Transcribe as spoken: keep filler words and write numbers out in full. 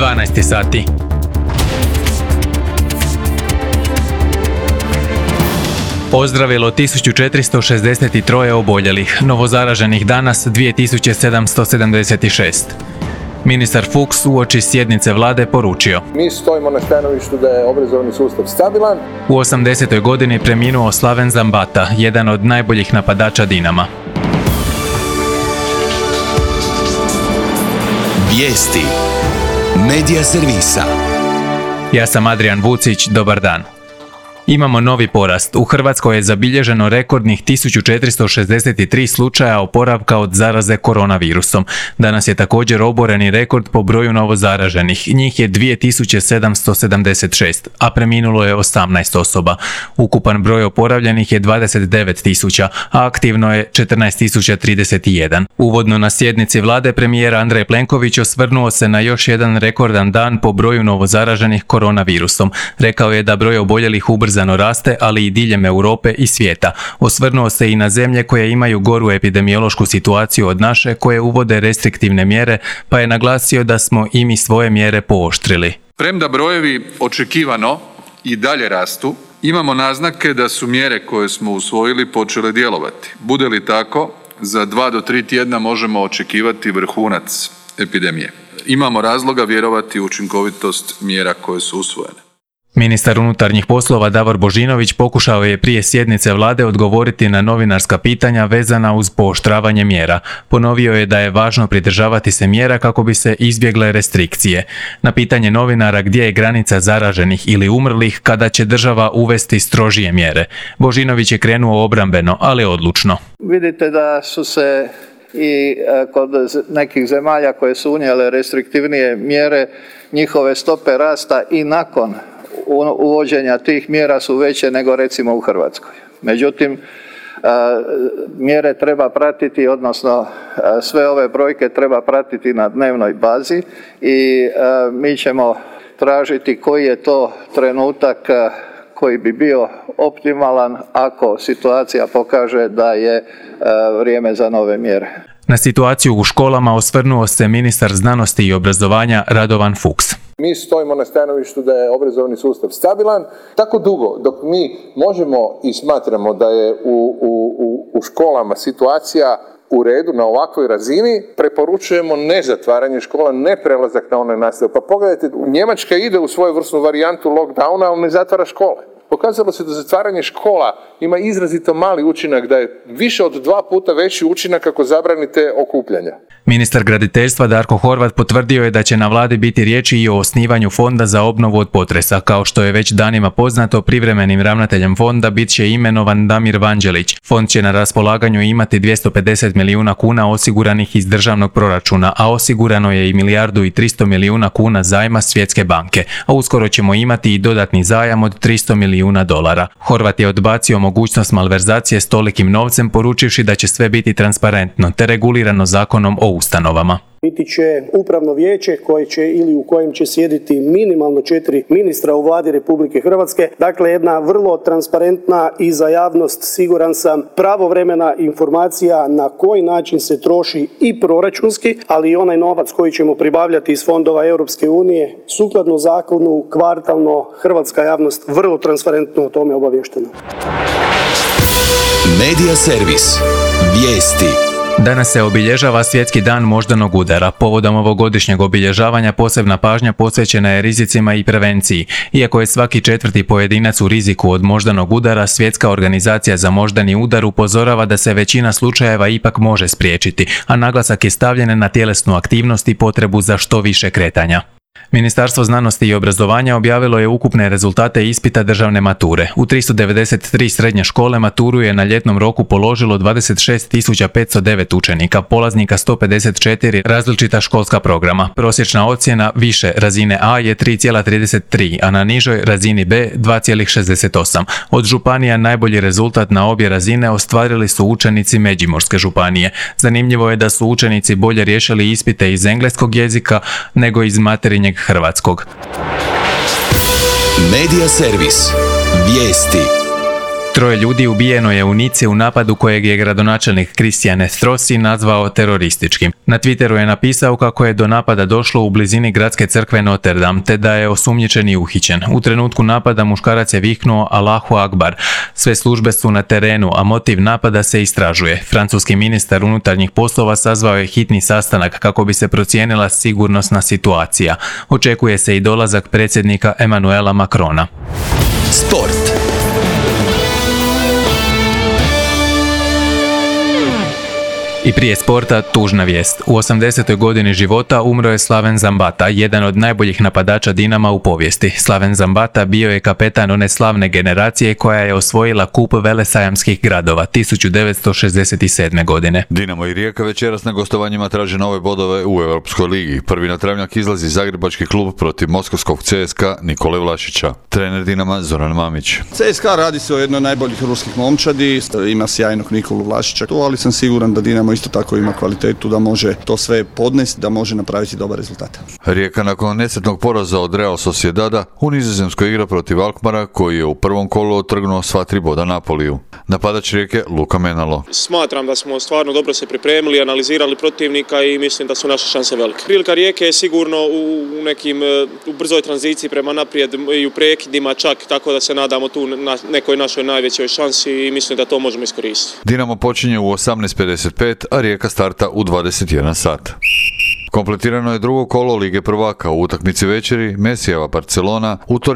dvanaest sati. Ozdravilo tisuću četiristo šezdeset tri oboljelih, novozaraženih danas dvije tisuće sedamsto sedamdeset šest. Ministar Fuchs uoči sjednice vlade poručio: Mi stojimo na stanovištu da je obrazovni sustav stabilan. U osamdesetoj godini preminuo Slaven Zambata, jedan od najboljih napadača Dinama. Vijesti Medija servisa. Ja sam Adrian Vucić, dobar dan. Imamo novi porast. U Hrvatskoj je zabilježeno rekordnih tisuću četiristo šezdeset tri slučaja oporavka od zaraze koronavirusom. Danas je također oboreni rekord po broju novozaraženih. Njih je dvije tisuće sedamsto sedamdeset šest, a preminulo je osamnaest osoba. Ukupan broj oporavljenih je dvadeset devet tisuća, a aktivno je četrnaest tisuća trideset jedan. Uvodno na sjednici vlade premijer Andrej Plenković osvrnuo se na još jedan rekordan dan po broju novozaraženih koronavirusom. Rekao je da broj oboljelih ubrzano raste, ali i diljem Europe i svijeta. Osvrnuo se i na zemlje koje imaju goru epidemiološku situaciju od naše, koje uvode restriktivne mjere, pa je naglasio da smo i mi svoje mjere pooštrili. Premda brojevi očekivano i dalje rastu, imamo naznake da su mjere koje smo usvojili počele djelovati. Bude li tako, za dva do tri tjedna možemo očekivati vrhunac epidemije. Imamo razloga vjerovati u učinkovitost mjera koje su usvojene. Ministar unutarnjih poslova Davor Božinović pokušao je prije sjednice vlade odgovoriti na novinarska pitanja vezana uz pooštravanje mjera. Ponovio je da je važno pridržavati se mjera kako bi se izbjegle restrikcije. Na pitanje novinara gdje je granica zaraženih ili umrlih kada će država uvesti strožije mjere, Božinović je krenuo obrambeno, ali odlučno. Vidite da su se i kod nekih zemalja koje su unijele restriktivnije mjere, njihove stope rasta i nakon uvođenja tih mjera su veće nego recimo u Hrvatskoj. Međutim, mjere treba pratiti, odnosno sve ove brojke treba pratiti na dnevnoj bazi i mi ćemo tražiti koji je to trenutak koji bi bio optimalan ako situacija pokaže da je vrijeme za nove mjere. Na situaciju u školama osvrnuo se ministar znanosti i obrazovanja Radovan Fuchs. Mi stojimo na stanovištu da je obrazovni sustav stabilan. Tako dugo dok mi možemo i smatramo da je u, u, u školama situacija u redu na ovakvoj razini, preporučujemo ne zatvaranje škola, ne prelazak na online nastavu. Pa pogledajte, Njemačka ide u svojevrsnu varijantu lockdowna, ali ne zatvara škole. Pokazalo se da zatvaranje škola ima izrazito mali učinak, da je više od dva puta veći učinak ako zabranite okupljanja. Ministar graditeljstva Darko Horvat potvrdio je da će na vladi biti riječi i o osnivanju fonda za obnovu od potresa. Kao što je već danima poznato, privremenim ravnateljem fonda bit će imenovan Damir Vanđelić. Fond će na raspolaganju imati dvjesto pedeset milijuna kuna osiguranih iz državnog proračuna, a osigurano je i milijardu i tristo milijuna kuna zajma Svjetske banke, a uskoro ćemo imati i dodatni zajam od tristo milijuna dolara. Horvat je odbacio mogućnost malverzacije s tolikim novcem, poručivši da će sve biti transparentno te regulirano zakonom o ustanovama. Biti će upravno vijeće koje će ili u kojem će sjediti minimalno četiri ministra u vladi Republike Hrvatske. Dakle, jedna vrlo transparentna i za javnost, siguran sam, pravovremena informacija na koji način se troši i proračunski, ali i onaj novac koji ćemo pribavljati iz fondova Europske unije. Sukladno zakonu, kvartalno, hrvatska javnost vrlo transparentno o tome obavještena. Medija servis. Vijesti. Danas se obilježava Svjetski dan moždanog udara. Povodom ovogodišnjeg obilježavanja posebna pažnja posvećena je rizicima i prevenciji. Iako je svaki četvrti pojedinac u riziku od moždanog udara, Svjetska organizacija za moždani udar upozorava da se većina slučajeva ipak može spriječiti, a naglasak je stavljen na tjelesnu aktivnost i potrebu za što više kretanja. Ministarstvo znanosti i obrazovanja objavilo je ukupne rezultate ispita državne mature. U tristo devedeset tri srednje škole maturu je na ljetnom roku položilo dvadeset šest tisuća petsto devet učenika, polaznika sto pedeset četiri različita školska programa. Prosječna ocjena više razine A je tri zarez trideset tri, a na nižoj razini B dva zarez šezdeset osam. Od županija najbolji rezultat na obje razine ostvarili su učenici Međimurske županije. Zanimljivo je da su učenici bolje riješili ispite iz engleskog jezika nego iz materinjeg hrvatskog. Medija servis. Vijesti. Troje ljudi ubijeno je u Nici u napadu kojeg je gradonačelnik Christian Estrosi nazvao terorističkim. Na Twitteru je napisao kako je do napada došlo u blizini gradske crkve Notre Dame, te da je osumnjičeni uhićen. U trenutku napada muškarac je viknuo Allahu Akbar. Sve službe su na terenu, a motiv napada se istražuje. Francuski ministar unutarnjih poslova sazvao je hitni sastanak kako bi se procijenila sigurnosna situacija. Očekuje se i dolazak predsjednika Emmanuela Macrona. Sport. I prije sporta, tužna vijest. U osamdesetoj godini života umro je Slaven Zambata, jedan od najboljih napadača Dinama u povijesti. Slaven Zambata bio je kapetan one slavne generacije koja je osvojila kup velesajamskih gradova tisuću devetsto šezdeset sedme. godine. Dinamo i Rijeka večeras na gostovanjima traže nove bodove u Europskoj ligi. Prvi na travnjak izlazi zagrebački klub protiv moskovskog C S K A Nikole Vlašića. Trener Dinama Zoran Mamić. C S K A radi se o jednoj najboljih ruskih momčadi, ima sjajnog Nikolu Vlašića, ali sam siguran da Dinamo isto tako ima kvalitetu da može to sve podnesti, da može napraviti dobar rezultat. Rijeka nakon nesretnog poraza od Real Sociedada u Nizozemskoj igra protiv Alkmara koji je u prvom kolu otrgnuo sva tri boda Napoliju. Napadač Rijeke Luka Menalo. Smatram da smo stvarno dobro se pripremili, analizirali protivnika i mislim da su naše šanse velike. Prilika Rijeke je sigurno u nekim u brzoj tranziciji prema naprijed i u prekidima čak, tako da se nadamo tu na nekoj našoj najvećoj šansi i mislim da to možemo iskoristiti. Dinamo počinje u osamnaest pedeset pet, a Rijeka starta u dvadeset jedan sat. Kompletirano je drugo kolo Lige prvaka u utakmici večeri Mesijeva Barcelona u Torinu